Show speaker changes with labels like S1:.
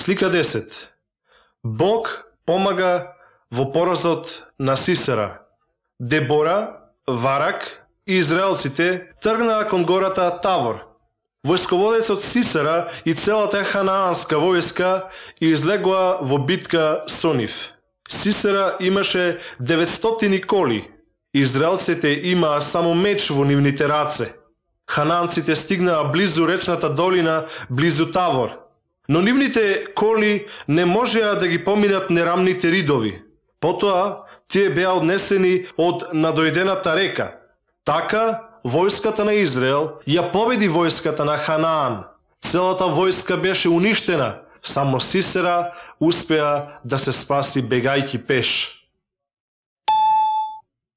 S1: Слика 10. Бог помага во поразот на Сисера. Дебора, Варак и израелците тргнаа кон гората Тавор. Војсководецот Сисера и целата ханаанска војска излегоа во битка со нив. Сисера имаше 900 коли. Израелците имаа само меч во нивните раце. Хананците стигнаа близу речната долина, близу Тавор. Но нивните коли не можеа да ги поминат нерамните ридови. Потоа, тие беа однесени од надојдената река. Така, војската на Израел ја победи војската на Ханаан. Целата војска беше уништена, само Сисера успеа да се спаси бегајки пеш.